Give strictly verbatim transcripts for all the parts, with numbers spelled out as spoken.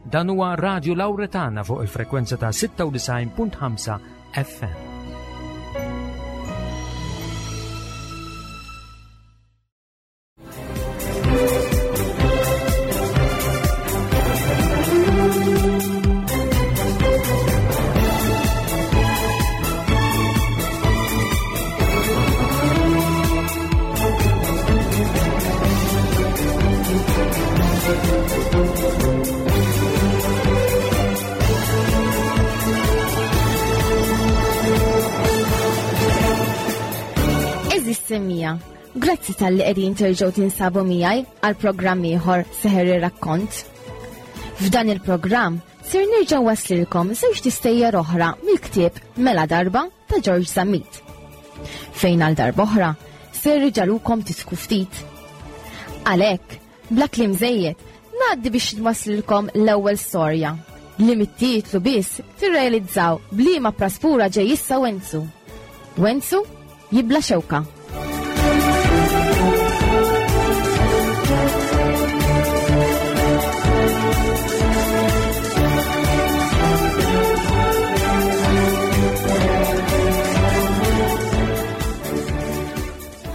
Dan huwa Radio Lauretana fuq il-frekwenza ta' sitta u disgħin punt ħamsa F M. Għeżież semmiegħa, grazzi talli qegħdin terġgħu tinsabu miegħi għal programm ieħor, Seħer ir-Rakkont. F'dan il-programm ser nerġa' nwasslilkom żewġt istejjer oħra mill-ktieb Mela Darba ta' George Zammit. Fejn għal darba oħra ser inġagħlukom tidħku ftit. Għalhekk, bla kliem żejjed, ngħaddi biex nwasslilkom l-ewwel storja li mit-titlu biss tirrealizzaw b'liema praspura ġej issa Wenzu. Wenzu jibla xewka.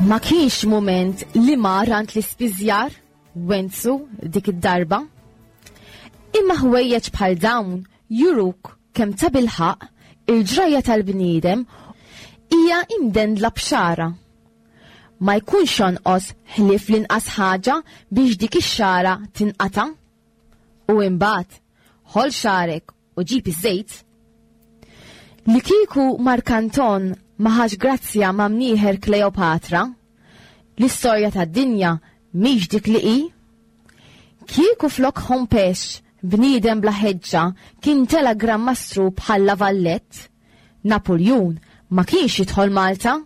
Ma kienx mument li mar għand l-ispiżjar, Wenzu, dik id-darba. Imma ħwejjeġ bħal dawn juruk kemm ta' bilħaq il-ġrajja tal-bniedem hija imdendla b'xara. Ma jkunx jonqos ħlief l-inqas ħaġa biex dik ix-xara tinqata'. U imbagħad ħoll xagħrek u ġib iż-żejt. Li kieku Markanton ma ħax grazzja ma' mnieħer Kleopatra, l-istorja tad-dinja mhix dik li hi. Kieku flok Hompesch, bniedem bla ħeġġa, kien tela Gran Mastru bħal La Valette, Napoljun ma kienx jidħol Malta.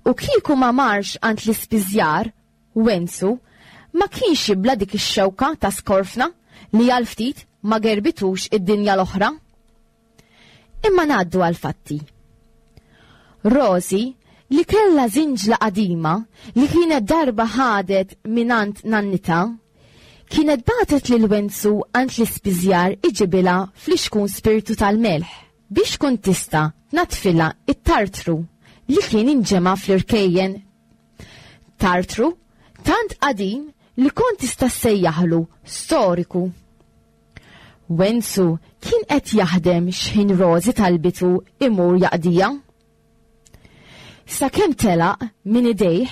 U kieku ma marx għand l-ispiżjar, Wenzu, ma kienx jibla dik ix-xewka ta' skorfna li għal ftit ma gerbitux id-dinja l-oħra. Imma ngħaddu għal fatti. Rosi, li kella zinġla qadima li kienet darba ħadet minant nannita, kienet bagħtet lil Wenzu għand l-ispiżjar iġibilha flixkun spirtu tal-melħ biex tkun tista' tnaddfilha it-tartru li kien inġema fl-irkejjen. Tartru tant qadim li kont tista' ssejjaħlu storiku. Wenzu kien qed jaħdem x'ħin Rosi talbitu imur jaqdija. Sakemm telaq minn idejh,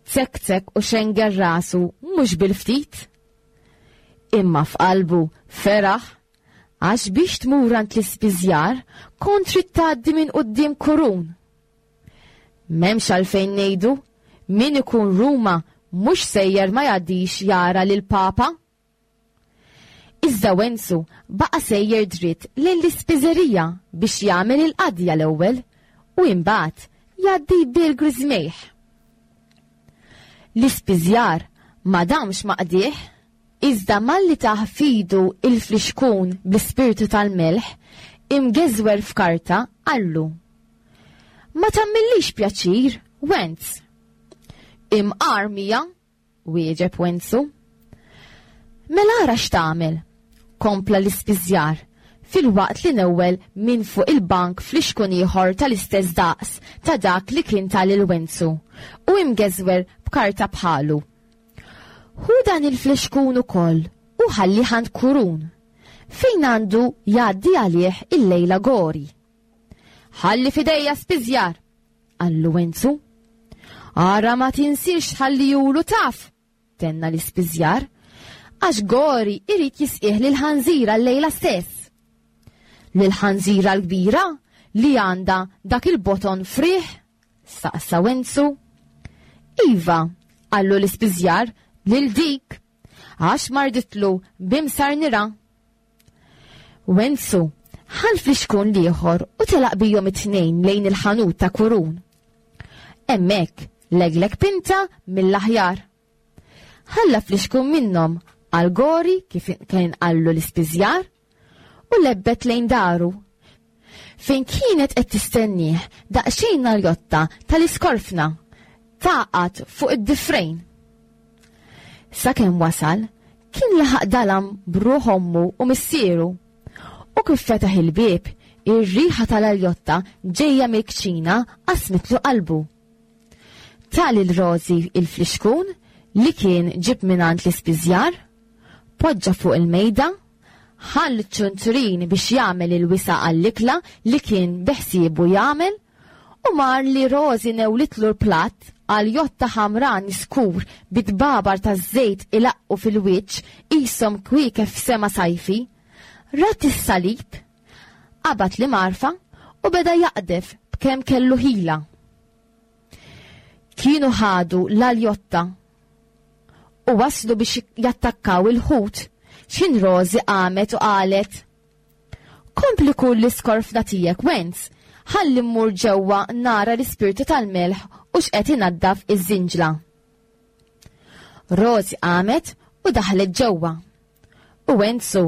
tektek u xenger rasu mhux bil-ftit. Imma f'qalbu feraħ għax biex tmur għand l-ispiżjar kont trid tgħaddi minn quddiem kurun. M'hemmx għalfejn ngħidu, min ikun Ruma mhux sejjer ma jgħaddix jara lil Papa. Iżda Wenzu baqa' sejjer dritt lejn l-ispiżerija biex jagħmel il-qadja l-ewwel u imbagħad jgħaddi bil-griżmejh. L-ispiżjar ma damx ma qdieh, iżda malli tah f'idu il-flixkun bl-ispirtu tal-melħ imgeżwer f'karta qallu: "Ma tagħmillix pjaċir, Wenz." "Imqar mija," wieġeb Wenzu. "Mela ara x'tagħmel," kompla l-ispiżjar filwaqt li newwel minn fuq il-bank flixkun ieħor tal-istess daqs ta' dak li kien ta lil Wenzu u imgeżwer b'karta bħalu. "Ħu dan il-flixkun ukoll u ħalli għand kurun, fejn għandu jgħaddi għalih il-lejla Gori." "Ħalli f'idejja, spiżjar," qallu Wenzu. "Ara ma tinsiex ħallihulu taf," tenna l-ispiżjar, "għax Gori irid jisqih lil ħanżira l-lejla stess." "Lil ħanżira l-kbira li għandha dak il-boton frieħ?" staqsa Wenzu. "Iva," qallu l-ispiżjar, "lil dik, għax marditlu b'imsar nira." Wenzu ħa l-flixkun l-ieħor u telaq bihom it-tnejn lejn il-ħanut ta' kurun. Hemmhekk leglek pinta mill-aħjar. Ħalla flixkun minnhom għal Gori kif kien qallu l-ispiżjar u lebbet lejn daru, fejn kienet qed tistennieh daqsxejn għal-jotta tal-iskorfna taqat fuq id-difrejn. Sakemm wasal, Kien laħaq dalam b'ruħ ommu u missieru. U kif fetaħ il-bieb, ir-riħa tal-aljotta ġejja mill-kċina qasmitlu qalbu. Ta lil Rożi il-flixkun li kien ġib mingħand l-ispiżjar, poġġa fuq il-mejda, ħall ċ-ċunturin biex jagħmel il-wisa' għall-ikla li kien beħsiebu jagħmel, u mar li Rożi newlitlu l-platt aljotta ħamran skur bit-tbabar taż-żejt ilaqqu fil-wiċċ qishom kwiekeb f'sema sajfi, rat is-salib, qabad l-imgħarfa u beda jaqdef b'kemm kellu ħila. Kienu ħadu l-aljotta u waslu biex jattakkaw il-ħut x'ħin Rożi qamet u qalet, Kompli kull l-iskorfna tiegħek, Wenz, ħalli mmur ġewwa nara l-ispirtu tal-melħ u x'qed inaddaf iż-żinġla. Rożi qamet u daħlet ġewwa. U Wenzu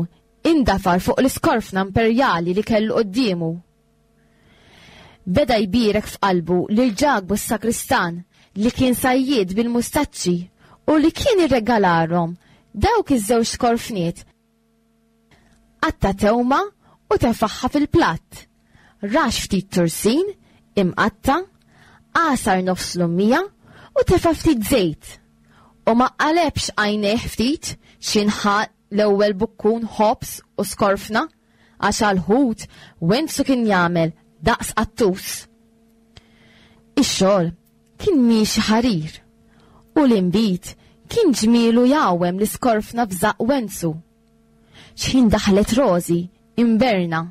indafar fuq l-iskorfna imperjali li kellu quddiemu. Beda jbierek f'qalbu lil Ġakbu s-sakristan li kien sajjied bil-mustaċċi u li kien irregalarhom dawk iż-żewġ skorfniet. Qatta' tewma u tefagħha fil-platt. Rax ftit tursin imqatta', għasar nofs lummija u tefa' ftit żejt. U ma qalebx għajnejh ftit x'inħa l-ewwel bukkun ħobż u skorfna, għax għall-ħut Wenzu kien jagħmel daqs qattus. Ix-xogħol kien miexi ħarir u l-inbid kien ġmielu jgħawwem l-iskorfna f'żaqq Wenzu. X'ħin daħlet Rożi, imberna.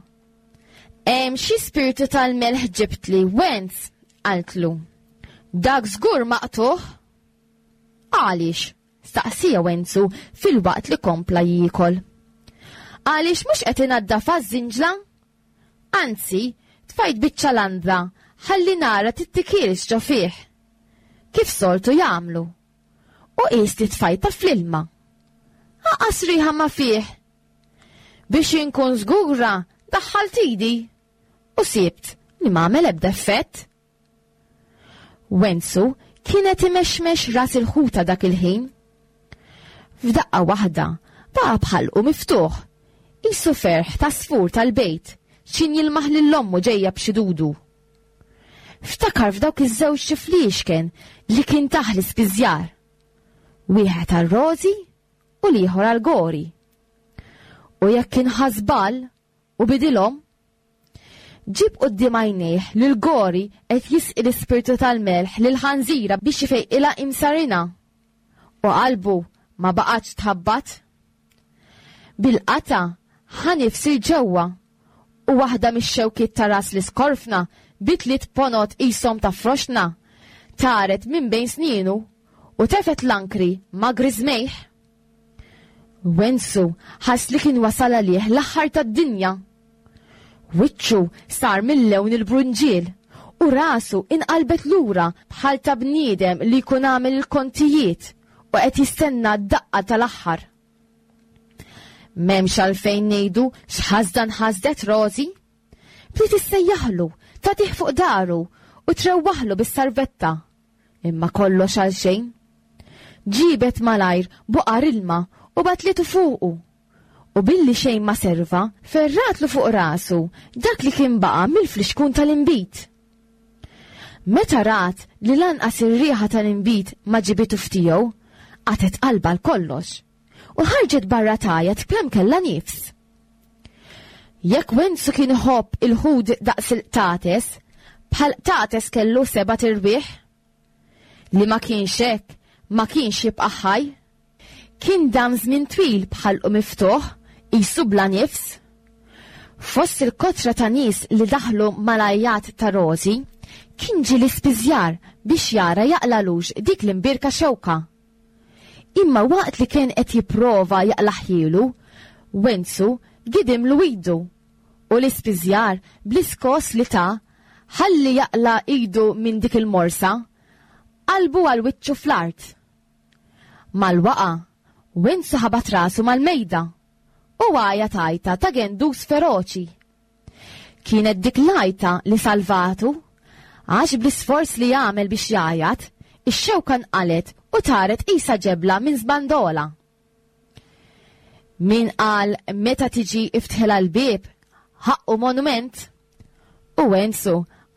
Hemm xi spirtu tal-melħ ġibtli, Wenz, qaltlu. Dak żgur maqtugħ. Għaliex? Staqsija Wenzu filwaqt li kompla jiekol. Għaliex mhux qed inaddafha ż-żinġla? Anzi, tfajt biċċa landra ħalli nara tittikilx ġo fih. Kif soltu jagħmlu. U qis li tfajta fl-ilma. Aqas riħa ma fih. Biex inkun żgura daħħalt idi u sibt li ma għamel ebda effett. Wenzu kienet imexmex ras il-ħuta dak il-ħin. F'daqqa waħda baqa' b'ħalqu miftuħ, qisu ferħ ta' sfur tal-bejt x'in jilmaħ lil ommu ġejja b'xi dudu. Ftakar f'dawk iż-żewġ xifliexken li kien tah l-ispiżjar. Wieħed għal Rożi u l-ieħor għal Gori. U jekk kien ħa żball u bidilhom, ġib quddiem għajnejh lil Gori qed jisqi l-ispirtu tal-melħ lil ħanżira biex ifejqilha imsarina. U qalbu ma baqgħetx tħabbat. Bil-qata ħa nifs 'il ġewwa u waħda mix-xewkiet ta' ras l-iskorfna bi tliet ponot qishom ta' froxna taret minn bejn snienu u tefgħet l-ankri ma' griżmejh. Wenzu ħass li kien wasal għalih l-aħħar tad-dinja. Wiċċu sar mil-lewn il-brunġiel u rasu inqalbet lura bħal ta' bniedem li jkun għamel il-kontijiet u qed jistenna d-daqqa tal-aħħar. M'hemmx għalfejn ngħidu x'ħasda nħasdet Rożi. Bdiet issejjaħlu, tagħtih fuq daru u trewwaħlu bis-sarvetta. Imma kollox għal xejn. Ġibet malajr buqar ilma u batlitu fuqu. U billi xejn ma serva, ferratlu fuq rasu dak li kien baqa' mill-flixkun tal-inbid. Meta rat li lanqas ir-riħa tal-inbid ma ġibitu f'tiegħu, qatgħet qalbha għal kollox u ħarġet barra tgħajjat b'kemm kellha nifs. Jekk Wenzu kien iħobb il-ħud daqs il-qtates, bħal qtates kellu sebat irwieħ. Li ma kienx hekk, ma kienx jibqa' ħaj. Kien dam żmien twil b'ħalqu miftuħ, qisu bla nifs. Fost il-kotra ta' nies li daħlu mal-għajjat ta' Rożi, kien ġie l-ispiżjar biex jara jaqlalux dik l-imbierka xewka. Imma waqt li kien qed jipprova jaqlaħhielu, Wenzu gidimlu idu u l-ispiżjar bl-iskos li ta ħalli jaqla' idu minn dik il-morsa, qalbu għal wiċċu fl-art. Mal-waqa', Wenzu ħabat rasu mal-mejda u għajat għajta ta' gendus feroċi. Kienet dik l-għajta li salvatu, għax bl-isforz li għamel biex jgħajjat, ix-xewka nqalgħet u taret qisha ġebla minn żbandola. Min qal meta tiġi iftħilha l-bieb, ħaqqu monument. U Wenzu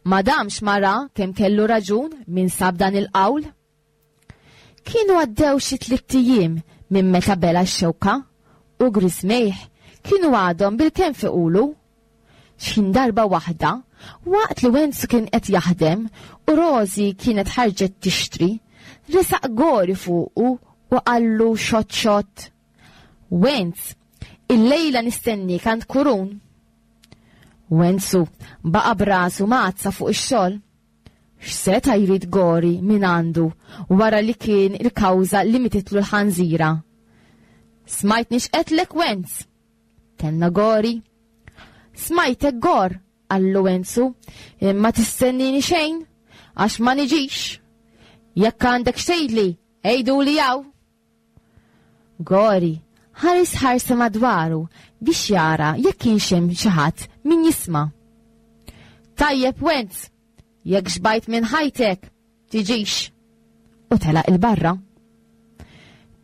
ma damx ma ra kemm kellu raġun min sab dan il-qawl. Kienu għaddew xi tlitt ijiem minn meta bela x-xewka u Griżmejh kienu għadhom bilkemm fiqulu. X'ħin darba waħda, waqt li Wenzu kien qed jaħdem u Rożi kienet ħarġet tixtri, resaq Gori fuqu u qallu xott xott, Wenz, illejla nistennik għand Kurun. Wenzu baqa' b'rasu mgħaddsa fuq ix-xogħol. X'seta' jrid Gori minn għandu wara li kien il-kawża li mititlu l-ħanżira? Smajtni x'qedlek Wenz? Tenna Gori. Smajtek Gor, qallu Wenzu, imma tistennini xejn, għax ma niġix. Jekk għandek x'tgħidli, għiduli hawn. Gori ħares ħarsa madwaru biex jara jekk kienx hemm xi ħadd min jisma'. Tajjeb Wenz, jekk xbajt minn ħajtek, tiġix. U telaq il-barra.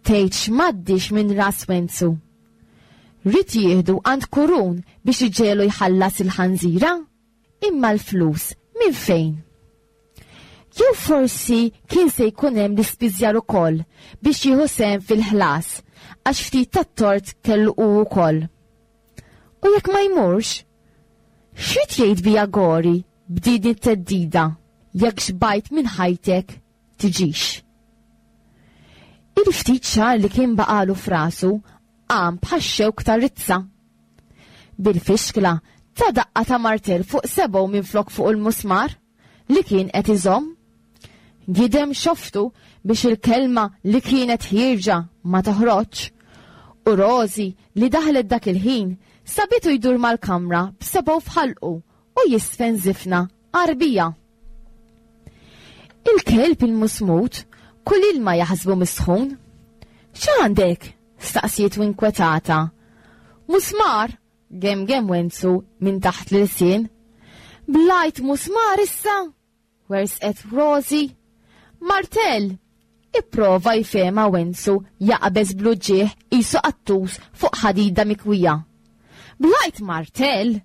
Tgħid x'maddix minn ras Wenzu. Rid jieħdu għand Kurun biex iġelu jħallas il-ħanżira? Imma l-flus minn fejn? Jew forsi kien se jkun hemm l-ispiżjar ukoll biex jieħu sehem fil-ħlas, għax ftit tat-tort kellu hu wkoll. U jekk ma jmurx? X'rid jgħid bija Gori b'din it-theddida, jekk xbajt minn ħajtek tiġix? Il-ftit xagħar li kien baqalu f'rasu qam bħax-xewk ta' rizza. Bil-fixkla ta' daqqa ta' martell fuq sebgħu minflok fuq il-musmar li kien qed iżomm. Gidem xoftu biex il-kelma li kienet ħierġa ma toħroġ. U Rożi li daħlet dak il-ħin sabitu jdur mal-kamra b'sebgħu f'ħalqu u jisfen żifna qarbija. Il-kelb il-musmut kull ilma jaħsbu misħun. X'għandek? Staqsiet u inkwetata. Musmar! Gemgem Wenzu minn taħt l-ilsien. Blajt musmar issa? Wersqet Rożi. Martell! Ipprova jfehma Wenzu jaqbeż bl-uġigħ qisu qattus fuq ħadida mikwija. Blajt martell!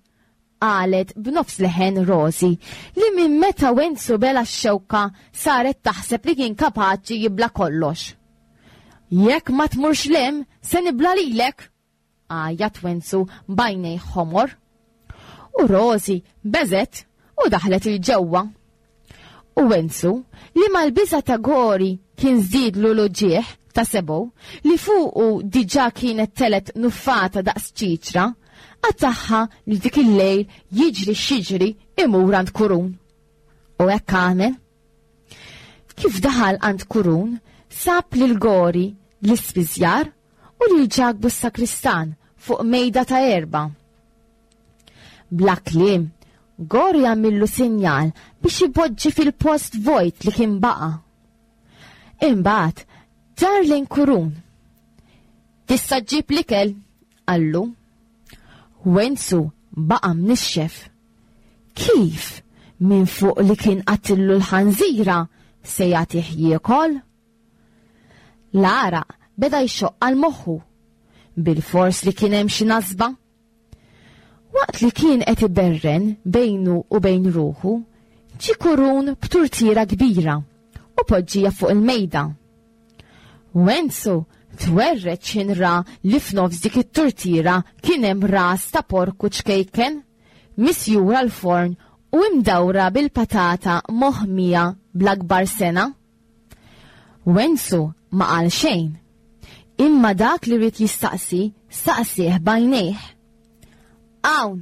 Qalet b'nofs leħen Rożi li minn meta Wenzu bela x-xewka saret taħseb li kien kapaċi jibla kollox. Jekk ma tmurx lem, se nibla lilek! Għajjat Wenzu b'għajnejh ħomor. U Rożi beżgħet u daħlet il-ġewwa. U Wenzu, li mal-biża' ta' Gori kien żdiedlu l-uġigħ ta' sebgħu li fuqu diġà kienet telet nuffata daqs ċiċra, qattagħha li dik il-lejl jiġri x'jiġri imur għand Kurun. U hekk għamel. Kif daħal għand Kurun, sab lil Gori l-ispiżjar u lil Ġakbu s-sakristan fuq mejda ta' erba. Bla kliem, Gori għamillu sinjal biex ipoġġi fil-post vojt li kien baqa'. Imbagħad dar lejn Kurun. Tista' ġġib l-ikel, qallu. Wenzu baqa' mnixxef. Kif minn fuq li kien qatillu l-ħanżira se jagħtih jiekol? L-għaraq beda jxoqq għal moħħu bil-fors li kien hemm xi nasba. Waqt li kien qed iberren bejnu u bejn ruħu, ġie Kurun b'turtiera kbira u poġġija fuq il-mejda. Wenzu twerred x'ħin ra li f'nofs dik it-turtiera kien hemm ras ta' porku ċkejken, misjura l-forn u imdawra bil-patata moħmija bl-akbar sena. Wenzu ma qal xejn, imma dak li ried jistaqsi staqsih b'għajnejh. Hawn,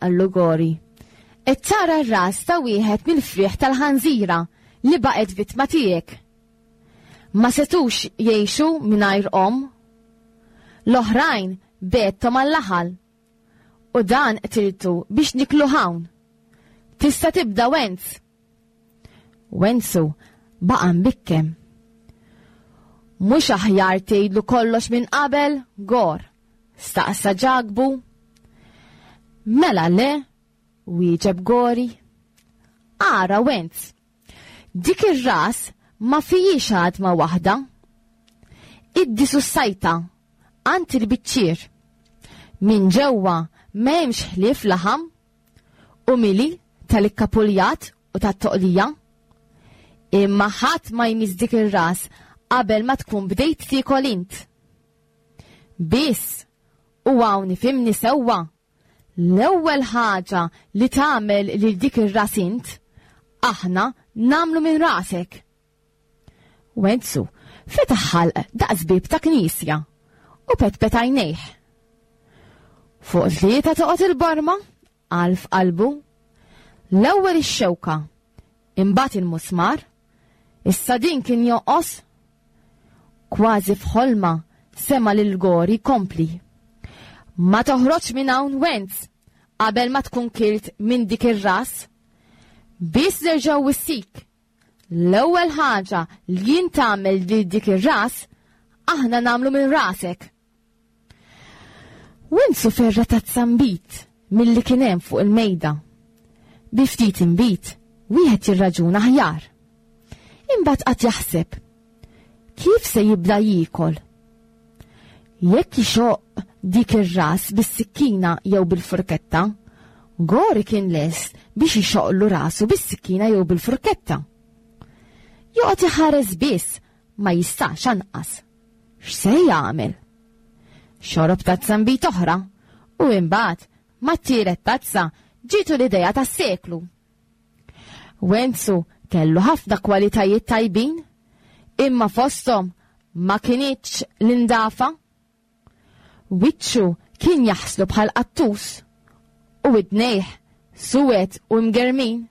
qallu Gori, qed tara r-ras ta' wieħed mill-frieħ tal-ħanżira li baqgħet vittma tiegħek. Ma setux jgħixu mingħajr omm. L-oħrajn bethom għall-aħal. U dan qtiltu biex niklu hawn. Tista' tibda Wenz. Wenzu baqa' mbikkem. Mhux aħjar tgħidlu kollox minn qabel, Gor, staqsa Ġakbu. Mela le, wieġeb Gori. Ara Wenz, dik ir-ras ma fijiex għadma waħda. Iddi sussajta, għand il-biċċier. Minn ġewwa m'hemmx ħlief laħam u mili tal-ikkapuljat u tat-toqlija. Imma ħadd ma jmiss dik ir-ras qabel ma tkun bdejt tiekol int. Biss, u hawn ifhimni sewwa, l-ewwel ħaġa li tagħmel lil dik ir-ras int, aħna nagħmlu minn rasek. Wenzu fetaħ ħalq daqs bieb ta' knisja u petpet għajnejh. Fuq tlieta toqgħod il-barma, qal f'qalbu. L-ewwel ix-xewka, imbagħad il-musmar, issa din kien jonqos. Kważi f'ħolma sema' lil Gori kompli. Ma toħroġ minn hawn Wenz qabel ma tkun kilt minn dik ir-ras. Biss nerġgħu wissik. L-ewwel ħaġa li jien tagħmel lil dik ir-ras, aħna nagħmlu minn rasek. Wenzu ferra tazza nbid milli kien hemm fuq il-mejda. Bi ftit inbid, wieħed jirraġuna aħjar. Imbagħad qatt jaħseb kif se jibda jiekol. Jekk ixoq dik ir-ras bis-sikkina jew bil-furketta, Gori kien lest biex ixoqlu rasu bis-sikkina jew bil-furketta. Joqgħod iħares biss ma jistax anqas. X'se jagħmel? Xorob tazza nbid oħra u imbagħad mat-tielet tazza ġietu l-idea tas-seklu. Wenzu kellu ħafna kwalitajiet tajbin, imma fosthom ma kinitx l-indafa. Wiċċu kien jaħslu bħal qattus u widnejh suwed u mgermin.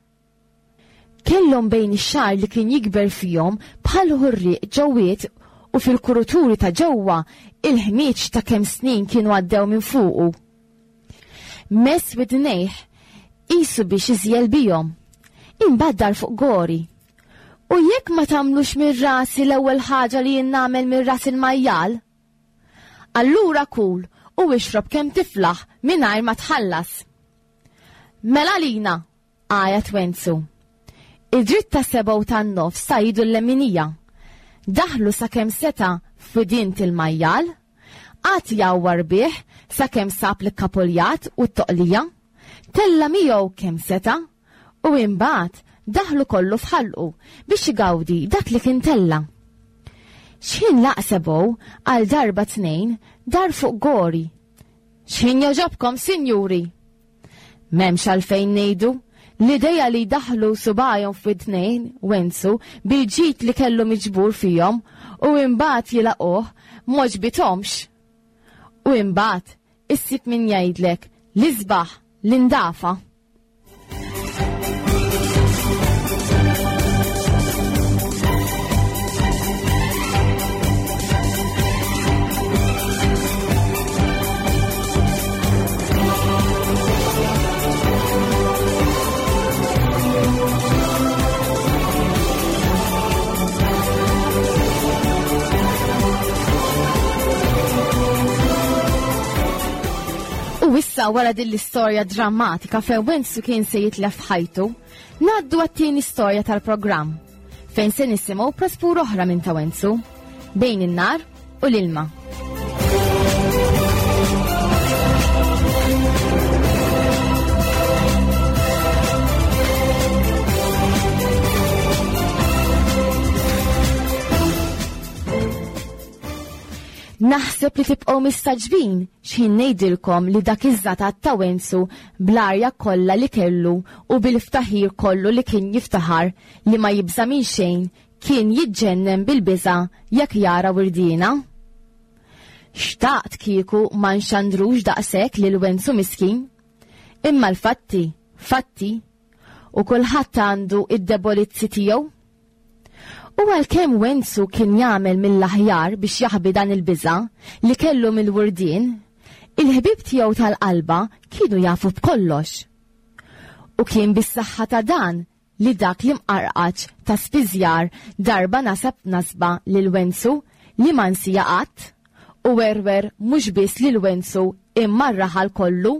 Kellhom bejn ix-xagħar li kien jikber fihom bħal ħurrieq ġewwiet u fil-kuruturi ta' ġewwa il-ħmieġ ta' kemm snin kienu għaddew minn fuqu. Mess widnejh qisu biex iżjel bihom. Imbagħad dar fuq Gori. U jekk ma tagħmlux minn rasi l-ewwel ħaġa li jien nagħmel minn ras il-majjal? Allura kul u ixrob kemm tiflaħ mingħajr ma tħallas. Mela lina, għajat Wenzu. Id-dritt ta' sebgħa u tan-nofs sa jidu l-leminija. Daħlu sakemm seta' f'widint il-majjal, qatt jawwar bih sakemm sab l-kapuljat u t-toqlija, tella miegħu kemm seta' u imbagħad daħlu kollu f'ħalqu biex igawdi dak li kien tella. X'ħin laqsebow għal darba tnejn dar fuq Gori. X'ħin jogħġobkom, sinjuri? M'hemmx għalfejn ngħidu l-idea li daħlu subajhom f'widnejn Wenzu bil-ġid li kellu miġbur fihom u imbagħad jilaqgħuh m'għoġbithomx. U imbagħad issib min jgħidlek l-isbaħ l-indafa. U issa wara din l-istorja drammatika fejn Wenzu kien se jitlef ħajtu, ngħaddu għat-tieni storja tal-programm fejn se nisimgħu praspur oħra minn ta' Wenzu, bejn in-nar u l-ilma. Naħseb li tibqgħu mistaġbin x'ħin ngħidilkom li dak iż-żatat ta' Wenzu bl-arja kollha li kellu u bil-ftaħir kollu li kien jiftaħar li ma jibża' minn xejn kien jiġġennen bil-biża' jekk jara wirdiena. Xtaqt kieku ma nxandrux daqshekk lil Wenzu miskin, imma l-fatti, fatti, u kulħadd għandu id-debolizzi tiegħu. U għalkemm Wenzu kien jagħmel mill-aħjar biex jaħbi dan il-biża' li kellu mill-wurdien, il-ħbieb tiegħu tal-qalba kienu jafu b'kollox. U kien bis-saħħa ta' dan li dak li mqarqaċ ta' spiżjar darba nasab nasba lil Wenzu li ma nsija qatt u werwer mhux biss lil Wenzu imma r-raħal kollu.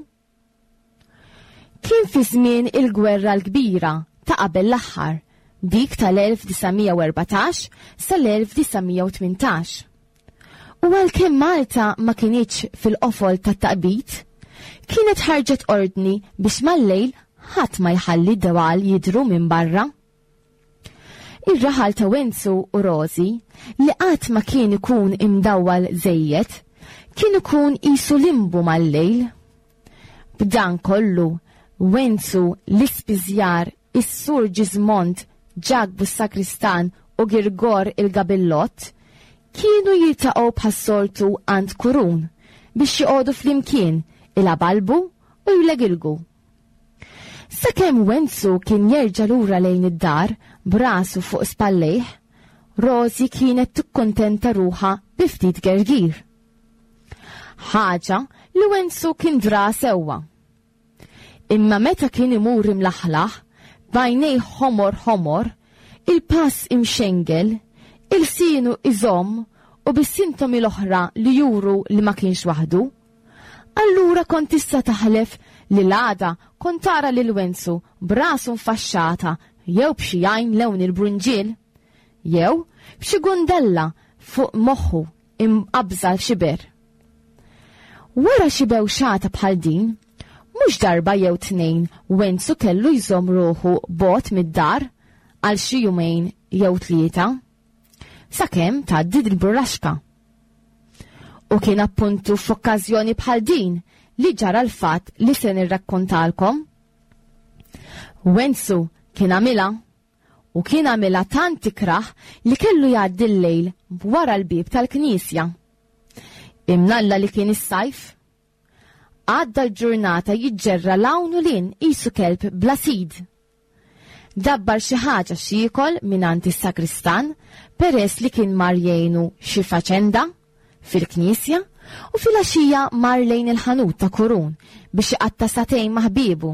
Kien fi żmien il-gwerra l-kbira ta' qabel l-aħħar, dik tal-elf disa' mija u erbatax sal-elf disa' mija u tmintax. U għalkemm Malta ma kinitx fil-qofol tat-taqbid, kienet ħarġet ordni biex mal-lejl ħadd ma jħalli dwal jidhru minn barra. Ir-raħal ta' Wenzu u Rożi, li qatt ma kien ikun imdawwal żejjed, kien ikun qisu limbu mal-lejl. B'dan kollu, Wenzu, l-ispiżjar, is-Sur Ġiżmond, Ġakbu s-Sakristan u Girgor il-Gabillott kienu jiltaqgħu bħas-soltu għand Kurun biex joqogħdu flimkien ilabalbu u jlegilgu. Sakemm Wenzu kien jerġa' lura lejn id-dar b'rasu fuq spallejh, Rożi kienet tikkuntenta ruħha bi ftit gergir. Ħaġa li Wenzu kien dra sewwa. Imma meta kien imur imlaħlaħ, b'għajnejh ħomor ħomor, il-pass imxengel, il-sinu iżomm u bis-sintomi l-oħra li juru li ma kienx waħdu, allura kont tista' taħlef li l-għada kont tara lil Wenzu b'rasu mfaxxata jew b'xi għajn lewn il-brunġiel, jew b'xi gundella fuq moħħu imqabża xiber. Wara xi bewxata bħal din, mhux darba jew tnejn Wenzu kellu jżomm ruħu bogħod mid-dar għal xi jumejn jew tlieta, sakemm tgħaddi l-burraxka. U kien appuntu f'okkażjoni bħal din li ġara l-fatt li se nirrakkontalkom. Wenzu kien għamilha, u kien għamilha tant ikrah li kellu jgħaddi l-lejl wara l-bieb tal-knisja. Imnalla li kien is-sajf. Għadda l-ġurnata jiġġerra l-hawn u lin qisu kelb bla sid. Dabbar xi ħaġa x'jiekol mingħand is-sakristan peress li kien mar jgħinu xi faċenda fil-knisja u filgħaxija mar lejn il-ħanut ta' Kurun biex iqatta' sagħtejn ma' ħbiebu.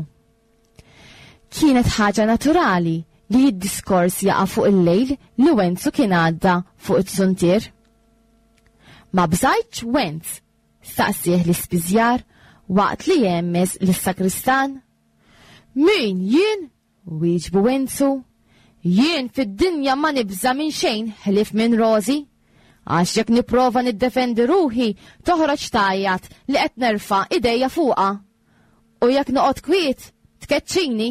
Kienet ħaġa naturali li d-diskors jaqa' fuq il-lejl li Wenzu kien għadda fuq it-suntier. Ma bżajtx Wenz, staqsih l-ispiżjar waqt li jemmes lis-sakristan. Min jien? Wieġbu Wenzu. Jien fid-dinja ma nibża' minn xejn ħlief minn Rożi. Għax jekk nipprova niddefendi ruħi toħroġ tgħajjat li qed nerfa' idejja fuqha. U jekk noqgħod kwiet tkeċċini.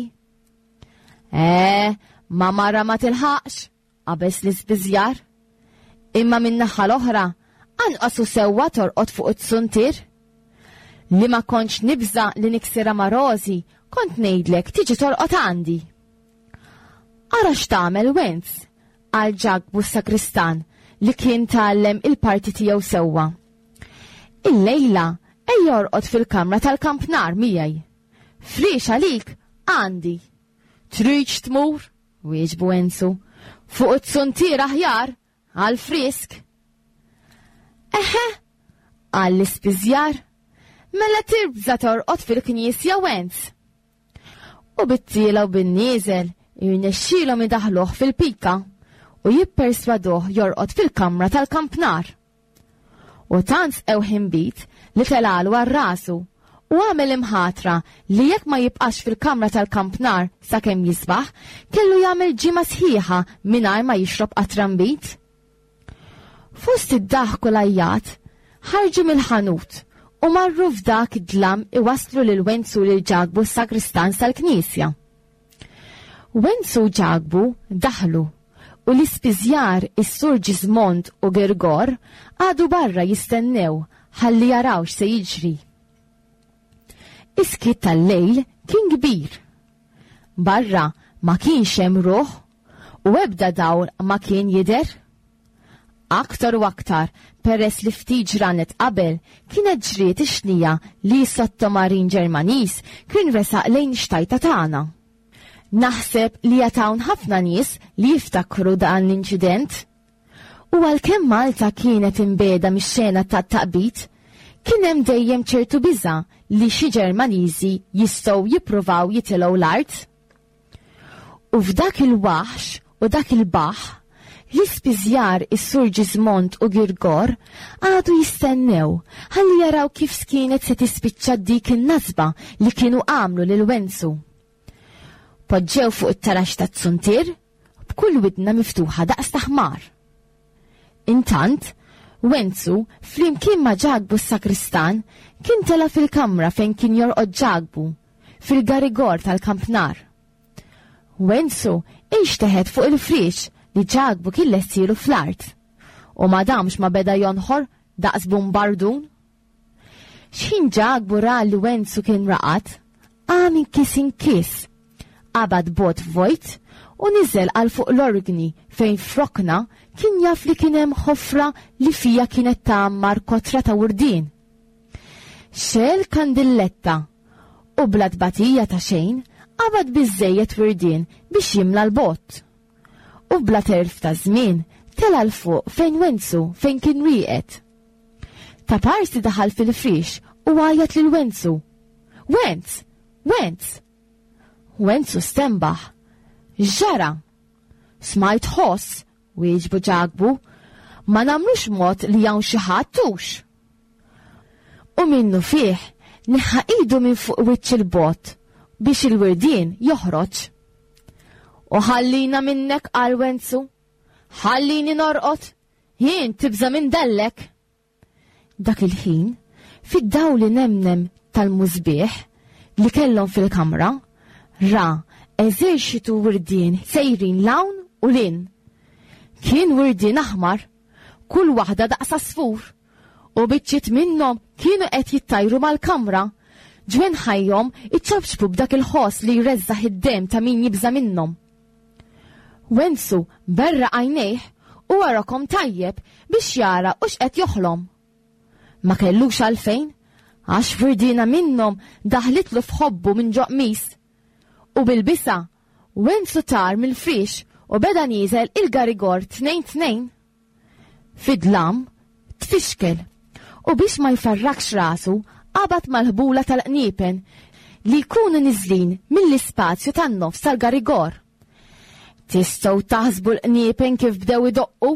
Eh, ma mara ma tilħaqx, qabeż l-ispiżjar. Imma min-naħa l-oħra anqas u sewwa torqod fuq it-suntier. Li ma kontx nibża' li niksirha ma' Rożi, kont ngħidlek tiġi torqod għandi. Ara x'tagħmel Wenz, qal Ġakbu s-sakristan li kien tgħallem il-parti tiegħu sewwa. Illejla ejja orqod fil-kamra tal-kampnar miegħi. Friex għalik għandi. Tridx tmur? Wieġbu Wenzu. Fuq it-suntier aħjar għal frisk. Eħe, qal l-ispiżjar. Mela tirbża torqod fil-knisja Wenz. U bit-tiela u bin-nieżel jirnexxielhom idaħħluh fil-pika u jipperswaduh jorqod fil-kamra tal-kampnar. U tant sqew ħinbit li telalu għal rasu u għamel imħatra li jekk ma jibqax fil-kamra tal-kampnar sakemm jisbaħ, kellu jagħmel ġimgħa sħiħa mingħajr ma jixrob qatra nbid. Fost id-daħk u l-għajjat ħarġu mill-ħanut u marru f'dak id-dlam iwasslu lil Wenzu lil Ġakbu s-sakristan sal-knisja. Wenzu u Ġakbu daħlu u l-ispiżjar is-Sur Ġiżmond u Girgor għadu barra jistennew ħalli jaraw x'se jiġri. Is-skiet tal-lejl kien kbir. Barra ma kienx hemm ruħ u ebda dawl ma kien jidher. Aktar u aktar peress li ftit ġranet qabel kienet ġriet ix-xnija li sottomarin Ġermaniż kien resaq lejn ix-xtajta tagħna. Naħseb li jatawn ħafna nies li jiftakru dan l-inċident. U għalkemm Malta kienet imbeda mix-xena tat-taqbid, kien hemm dejjem ċertu biża' li xi Ġermaniżi jistgħu jippruvaw jitilgħu l-art. U f'dak il-waħx u dak il-baħ, l-ispiżjar is-Sur Ġiżmond u Girgor għadu jistennew ħalli jaraw kif kienet se tispiċċa dik in-nasba li kienu għamlu lil Wenzu. Poġġew fuq it-tarax tat-suntier b'kull widna miftuħa daqs ta' ħmar. Intant, Wenzu, flimkien ma' Ġakbu s-sakristan, kien tela fil-kamra fejn kien jorqod Ġakbu, fil-garigor tal-kampnar. Wenzu inxteħet fuq il-friex li Ġakbu kien lessielu fl-art, u ma damx ma beda jonħor daqs bombardun. X'ħin Ġakbu ra li Wenzu kien raqad, qam inkis inkis, qabad bot vojt u niżel għal fuq l-orgni fejn frokna kien jaf li kien hemm ħofra li fija kienet tgħammar kotra ta' wurdien. Xel kandilletta u bla tbatija ta' xejn qabad biżżejjed wirdien biex jimla l-bott. U bla terf ta' żmien tela' 'l fuq fejn Wenzu fejn kien wieqed. Ta' parsi daħal fil-frix u għajat lil Wenzu. Wenz! Wenz! Wenzu stenbaħ. X'ġara? Smajt ħoss, wieġbu Ġakbu, ma nagħmlux mod li hawn xi ħadd tux. U minnu fih neħħa idu minn fuq wiċċ il-bott biex il-wirdien joħroġ. U ħallina minnek, qal Wenzu, ħallini norqod, jien tibża' minn dellek. Dak il-ħin, fid-dawl nemnem tal-musbieħ li kellhom fil-kamra, ra eżerċitu wirdien sejrin lawn u lin. Kien wirdien aħmar, kull waħda daqs għasfur, u biċċiet minnhom kienu qed jittajru mal-kamra, ġwen ħajjhom iċċabxbu b'dak il-ħoss li jreżżaħ id-dem ta' min jibża' minnhom. Wenzu berra għajnejh u warakom tajjeb biex jara u x'qed joħlom. Ma kellux għalfejn, għax wirdina minnhom daħlitlu f'ħobbu minn ġo qmis. U bil-bisa, Wenzu tar mill-frix u beda nieżel il-garigor tnejn tnejn. Fid-dlam, tfixkel, u biex ma jfarrakx rasu, qabad mal-ħbula tal-qniepen li jkunu niżlin mill-ispazju tan-nofs tal-garigor. Tistgħu taħsbu l-qniepen kif bdew idoqqu?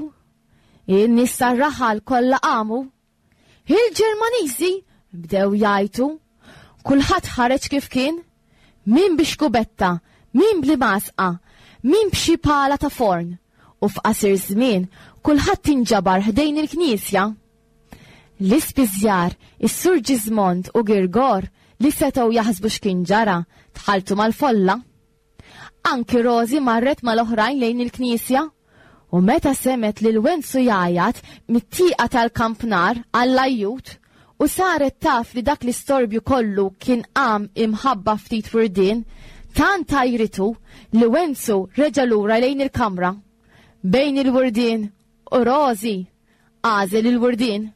In-nies tar-raħal kollha qamu. Il-Ġermaniżi bdew jgħajtu. Kulħadd ħareġ kif kien. Min biex kubetta, min bli masqa, min b'xi pala ta' forn. U f'qasir żmien kulħadd inġabar ħdejn il-knisja. L-ispiżjar, is-Sur Ġismond u Girgor li setgħu jaħsbu x'kien ġara, tħaltu mal-folla. Anki Rosi marret mal-oħrajn lejn il-knisja, u meta semet lil Wenzu jgħajjat mit-tieqa tal-kampnar għall-ajjut u saret taf li dak l-istorbju kollu kien qam imħabba ftit wirdien, tant tajritu li Wenzu reġa' lura lejn il-kamra. Bejn il-wirdien u Rosi għażel il-wirdien.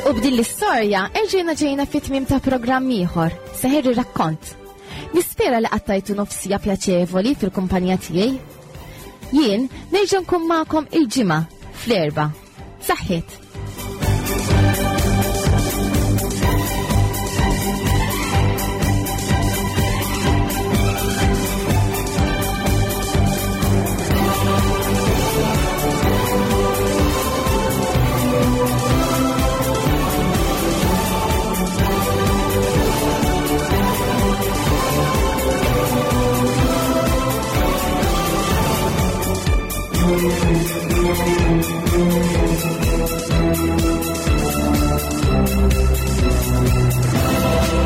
U b'din l-istorja erġejna ġejna fit-tmiem ta' programm ieħor, Seħer ir-Rakkont. Nispera li qattajtu nofsija pjaċevoli fil-kumpanija tiegħi. Jien nerġa' nkun magħkom il-ġimgħa fl-erba'. Saħħiet. Thank you.